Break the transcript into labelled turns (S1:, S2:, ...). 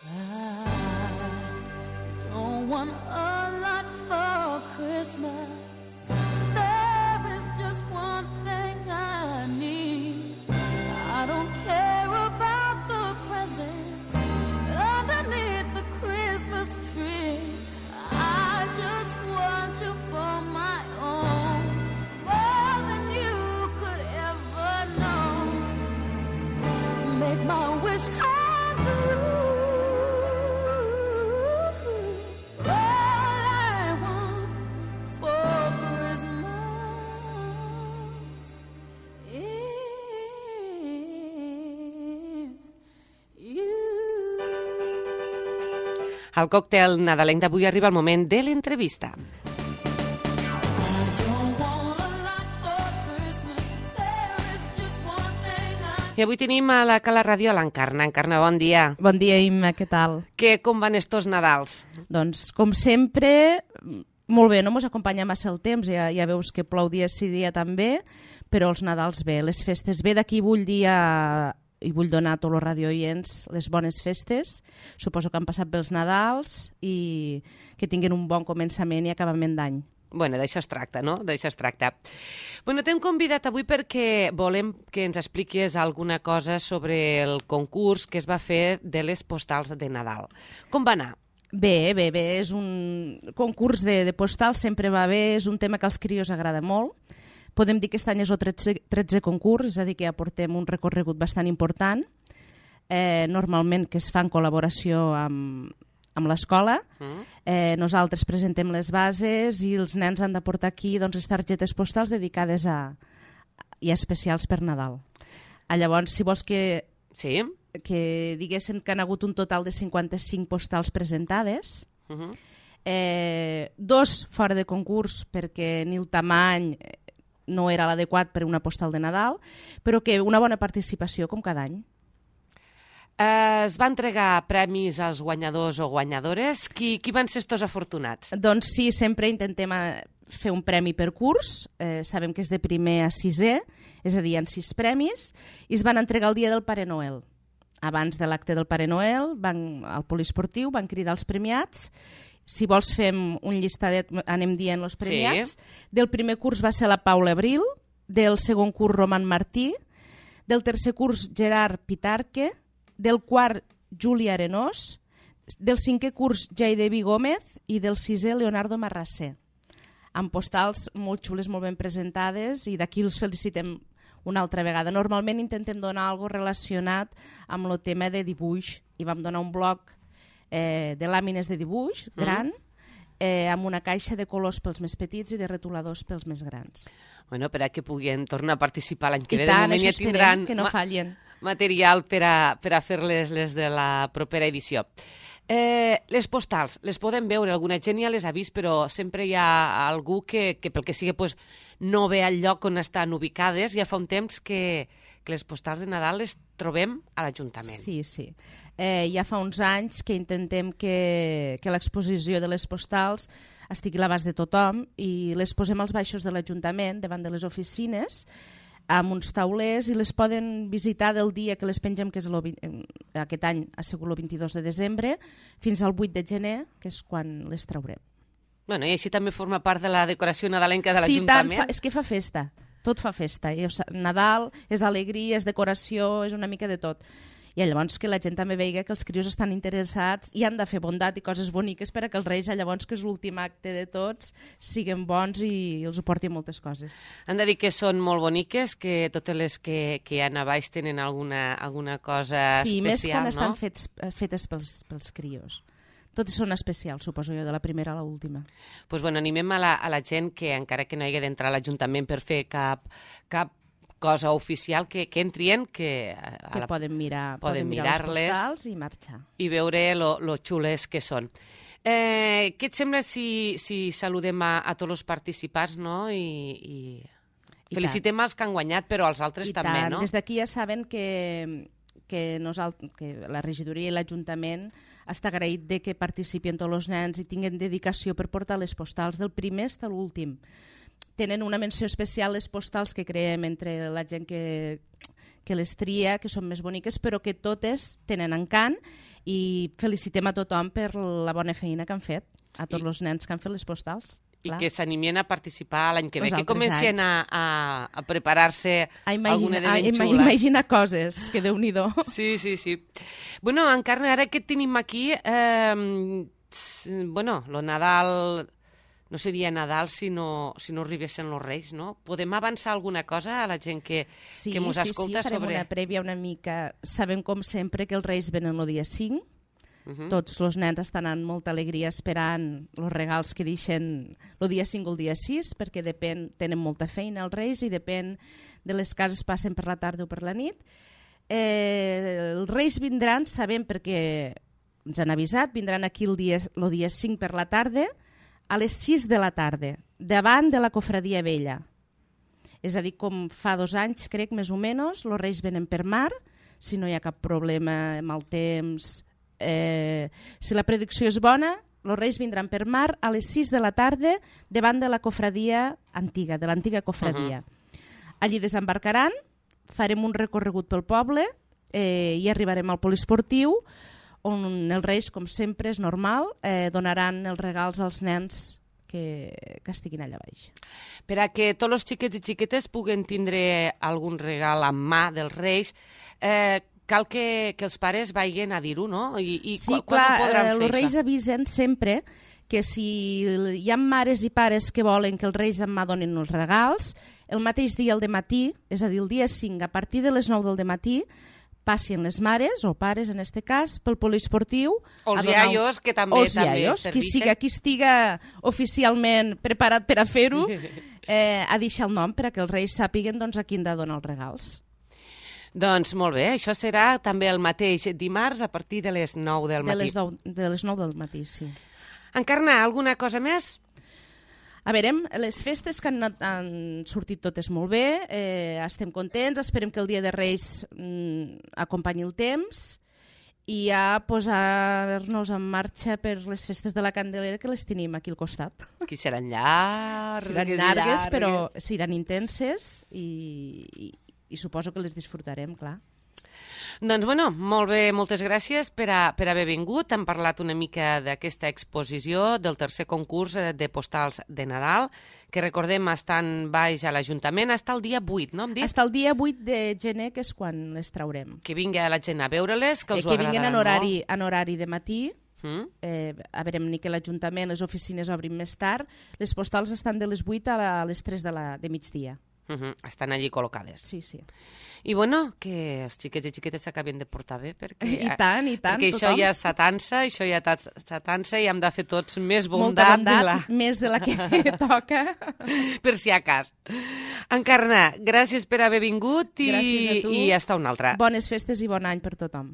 S1: I don't want a lot for Christmas. There is just one thing I need. I don't care about the presents underneath the Christmas tree. I just want you for my own, more than you could ever know. Make my wish come true.
S2: Al còctel nadalenc d'avui arriba el moment de l'entrevista. I avui tenim a la Cala Ràdio a l'Encarna. Encarna, bon dia.
S3: Bon dia, Imma, què tal?
S2: Com van estos Nadals?
S3: Doncs, com sempre, molt bé, no mos acompanya massa el temps, ja veus que plou dia sí dia també, però els Nadals bé, les festes bé. D'aquí vull dir i vull donar a tots els radiooients les bones festes. Suposo que han passat bé els Nadals i que tinguin un bon començament i acabament d'any.
S2: Bueno, d'això es tracta, no? D'això es tracta. Bueno, t'hem convidat avui perquè volem que ens expliquis alguna cosa sobre el concurs que es va fer de les postals de Nadal. Com va anar?
S3: Bé, és un concurs de postals, sempre va bé, és un tema que als crios agrada molt. Podem dir que aquest any és el 13è concurs, és a dir, que ja portem un recorregut bastant important, normalment que es fa en col·laboració amb l'escola. Nosaltres presentem les bases i els nens han de portar aquí les targetes postals dedicades i especials per Nadal. Llavors, si vols que diguessin que han hagut un total de 55 postals presentades, 2 fora de concurs perquè ni el tamany no era l'adequat per una postal de Nadal, però que una bona participació com cada any.
S2: Es va entregar premis als guanyadors o guanyadores. Qui van ser estos afortunats?
S3: Doncs sí, sempre intentem fer un premi per curs. Sabem que és de primer a 6è, és a dir, hi ha 6 premis, i es van entregar el dia del Pare Noel. Abans de l'acte del Pare Noel, al poliesportiu van cridar els premiats. Si vols fem un llistadet, anem dient els premiats. Sí. Del primer curs va ser la Paula Abril, del segon curs Roman Martí, del tercer curs Gerard Pitarque, del quart Júlia Arenós, del 5è curs Jaidevi Gómez i del 6è Leonardo Marrasser. Amb postals molt xules, molt ben presentades, i d'aquí els felicitem una altra vegada. Normalment intentem donar alguna cosa relacionat amb el tema de dibuix, i vam donar un bloc de làmines de dibuix gran, amb una caixa de colors pels més petits i de retoladors pels més grans.
S2: Bueno, per a que puguin tornar a participar l'any que ve.
S3: I tant, això esperem que no fallin.
S2: Material per a fer-les les de la propera edició. Les postals, les podem veure, alguna gent ja les ha vist, però sempre hi ha algú que pel que sigui no ve al lloc on estan ubicades. Ja fa un temps que les postals de Nadal les trobem a l'Ajuntament.
S3: Sí. Ja fa uns anys que intentem que l'exposició de les postals estigui a l'abast de tothom i les posem als baixos de l'Ajuntament, davant de les oficines, amb uns taulers, i les poden visitar del dia que les pengem, que és aquest any ha sigut el 22 de desembre, fins al 8 de gener, que és quan les traurem.
S2: Bueno, i així també forma part de la decoració nadalenca de l'Ajuntament?
S3: Sí, tant, és que fa festa. Tot fa festa. Nadal és alegria, és decoració, és una mica de tot. I llavors que la gent també veiga que els crios estan interessats i han de fer bondat i coses boniques per a que els Reis, llavors que és l'últim acte de tots, siguin bons i els ho portin moltes coses.
S2: Han de dir que són molt boniques, que totes les que hi ha a baix tenen alguna cosa especial, no?
S3: Sí, més quan estan fetes pels crios. Totes són especials, suposo jo, de la primera a l'última.
S2: Doncs bueno, animem a la gent que, encara que no hagi d'entrar a l'Ajuntament per fer cap cosa oficial, que entrien, que
S3: poden mirar les postals i marxar.
S2: I veure lo xules que són. Què et sembla si saludem a tots els participants, no? I felicitem els que han guanyat, però els altres també, no?
S3: Des d'aquí ja saben que la regidoria i l'Ajuntament està agraït de que participin tots els nens i tinguin dedicació per portar les postals del primer fins a l'últim. Tenen una menció especial les postals que creem entre la gent que que les tria, que són més boniques, però que totes tenen encant, i felicitem a tothom per la bona feina que han fet, a tots els nens que han fet les postals.
S2: I
S3: clar.
S2: que s'animien a participar l'any que ve,
S3: Els
S2: que
S3: altres
S2: comencen a preparar-se algun element xula.
S3: Imaginar coses, que Déu-n'hi-do.
S2: Sí. Bueno, Encarna, ara que tenim aquí, lo Nadal no seria Nadal si no arribessin els Reis, no? Podem avançar alguna cosa a la gent que mos escolta
S3: farem
S2: sobre...
S3: una prèvia una mica. Sabem, com sempre, que els Reis venen el dia 5. Tots els nens estan amb molta alegria esperant els regals que deixen el dia 5 o el dia 6, perquè tenen molta feina els Reis i depèn de les cases, passen per la tarda o per la nit. Els Reis vindran, sabem, perquè ens han avisat, vindran aquí el dia 5 per la tarda, a les 6 de la tarda, davant de la Cofradia Vella. És a dir, com fa 2 anys, crec, més o menys, els Reis venen per mar, si no hi ha cap problema amb el temps. Si la predicció és bona, els Reis vindran per mar a les 6 de la tarda davant de la Cofradia antiga, de l'antiga Cofradia. Allí desembarcaran, farem un recorregut pel poble i arribarem al poliesportiu, on els Reis, com sempre, és normal, donaran els regals als nens que estiguin allà baix.
S2: Per a que tots els xiquets i xiquetes puguen tindre algun regal en mà dels Reis, cal que els pares vagin a dir-ho, no? I
S3: sí,
S2: quan ho podran fer,
S3: els Reis avisen sempre que si hi ha mares i pares que volen que els Reis en mà donin els regals, el mateix dia al dematí, és a dir, el dia 5, a partir de les 9 del dematí, passin les mares, o pares en aquest cas, pel poliesportiu.
S2: O els iaios, que també
S3: serveixen. Qui estiga oficialment preparat per a fer-ho, a deixar el nom per a que els Reis sàpiguen a qui han de donar els regals.
S2: Doncs molt bé, això serà també el mateix dimarts a partir de les 9 del matí.
S3: De les 9 del matí, sí.
S2: Encarna, alguna cosa més?
S3: A veure, les festes que han sortit totes molt bé, estem contents, esperem que el dia de Reis acompanyi el temps i ja posar-nos en marxa per les festes de la Candelera, que les tenim aquí al costat.
S2: Que seran llargues.
S3: Seran llargues, però seran intenses i suposo que les disfrutarem, clar.
S2: Doncs, bueno, molt bé, moltes gràcies per haver vingut. Hem parlat una mica d'aquesta exposició del tercer concurs de postals de Nadal, que recordem estan baix a l'Ajuntament, està el dia 8, no?
S3: Està el dia 8 de gener, que és quan les traurem.
S2: Que vingui la gent a veure-les, que els ho agradaran
S3: molt.
S2: Que vinguen
S3: en horari de matí, a veure, ni que l'Ajuntament, les oficines obrin més tard, les postals estan de les 8 a les 3 de migdia.
S2: Estan allí col·locades.
S3: Sí.
S2: I bueno, que els xiquets i xiquetes s'acaben de portar bé, perquè,
S3: I tant,
S2: perquè
S3: tothom.
S2: això ja s'atansa i hem de fer tots més bondat.
S3: Més de la que toca.
S2: Per si a cas. Encarna, gràcies per haver vingut
S3: i
S2: hasta una altra.
S3: Bones festes i bon any per tothom.